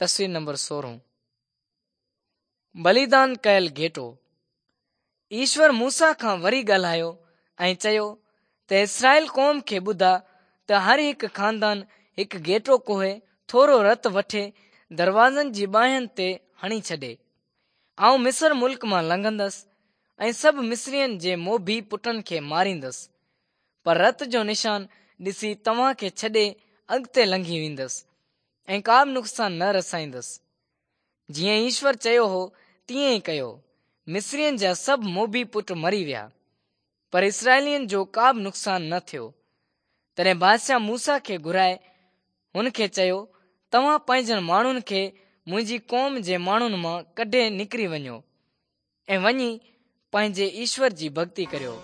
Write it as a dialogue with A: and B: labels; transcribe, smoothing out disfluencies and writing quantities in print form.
A: تصوير نمبر 16 بليدان ڪيل گهيٽو. ايشور موسيٰ کان وري ڳالهايو ۽ چيو ته اسرائيل قوم کي ٻڌاء ته هر هڪ خاندان هڪ گهيٽو ڪهي ٿورو رت وٺي دروازن جي ٻانهن تي هڻي ڇڏي. آئون مصر ملڪ مان لنگهندس ۽ سڀ مصرين جي موڀي پٽن کي ماريندس، پر رت جو نشان ڏسي توهان کي ڇڏي اڳتي لنگهي ويندس ۽ ڪا به نقصان نه رسائيندس. جيئن ايشور چيو هو تيئن ئي ڪيو. مصرين جا سڀ موڀي پٽ مري ويا، پر اسرائيلين جو ڪا به نقصان نه ٿيو. تڏهن بادشاهه موسيٰ کي گهرائي هن کي چيو، توهان پنهنجن ماڻهن کي منهنجي قوم جي ماڻهن مان ڪڍي نڪري وڃو ۽ وڃي پنهنجي ايشور جي ڀڳتي ڪريو.